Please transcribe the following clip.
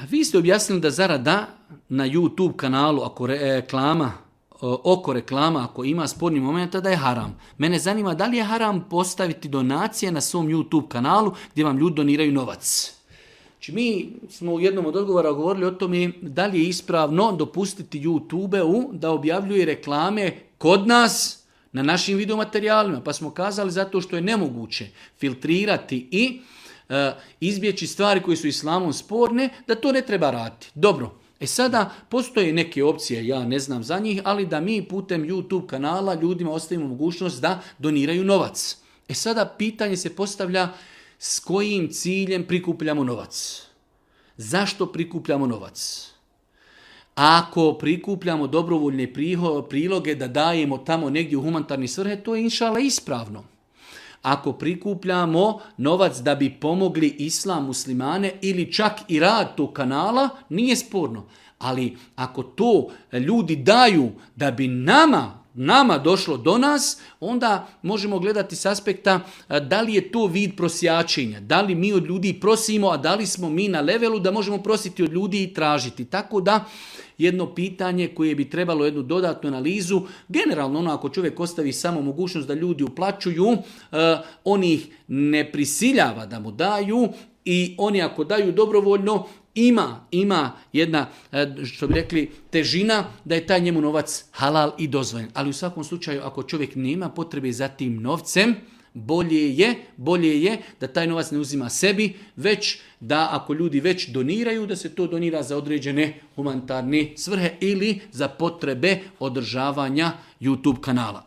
Vi ste objasnili da zarada na YouTube kanalu oko reklama, ako ima sporni momenta, da je haram. Mene zanima da li je haram postaviti donacije na svom YouTube kanalu gdje vam ljudi doniraju novac. Znači, mi smo u jednom od odgovora govorili o tome da li je ispravno dopustiti YouTube-u da objavljuje reklame kod nas na našim videomaterijalima. Pa smo kazali zato što je nemoguće filtrirati i izbjeći stvari koje su islamom sporne, da to ne treba raditi. Dobro, sada postoje neke opcije, ja ne znam za njih, ali da mi putem YouTube kanala ljudima ostavimo mogućnost da doniraju novac. Sada pitanje se postavlja s kojim ciljem prikupljamo novac. Zašto prikupljamo novac? Ako prikupljamo dobrovoljne priloge da dajemo tamo negdje u humanitarne svrhe, to je inšala ispravno. Ako prikupljamo novac da bi pomogli islam, muslimane ili čak i rad tog kanala, nije sporno. Ali ako to ljudi daju da bi nama došlo do nas, onda možemo gledati s aspekta da li je to vid prosjačenja, da li mi od ljudi prosimo, a da li smo mi na levelu da možemo prositi od ljudi i tražiti. Tako da jedno pitanje koje bi trebalo jednu dodatnu analizu, generalno ako čovjek ostavi samo mogućnost da ljudi uplaćuju, on ih ne prisiljava da mu daju i oni ako daju dobrovoljno, ima jedna, što bi rekli, težina da je taj njemu novac halal i dozvoljen. Ali u svakom slučaju, ako čovjek nema potrebe za tim novcem, bolje je da taj novac ne uzima sebi, već da ako ljudi već doniraju, da se to donira za određene humanitarne svrhe ili za potrebe održavanja YouTube kanala.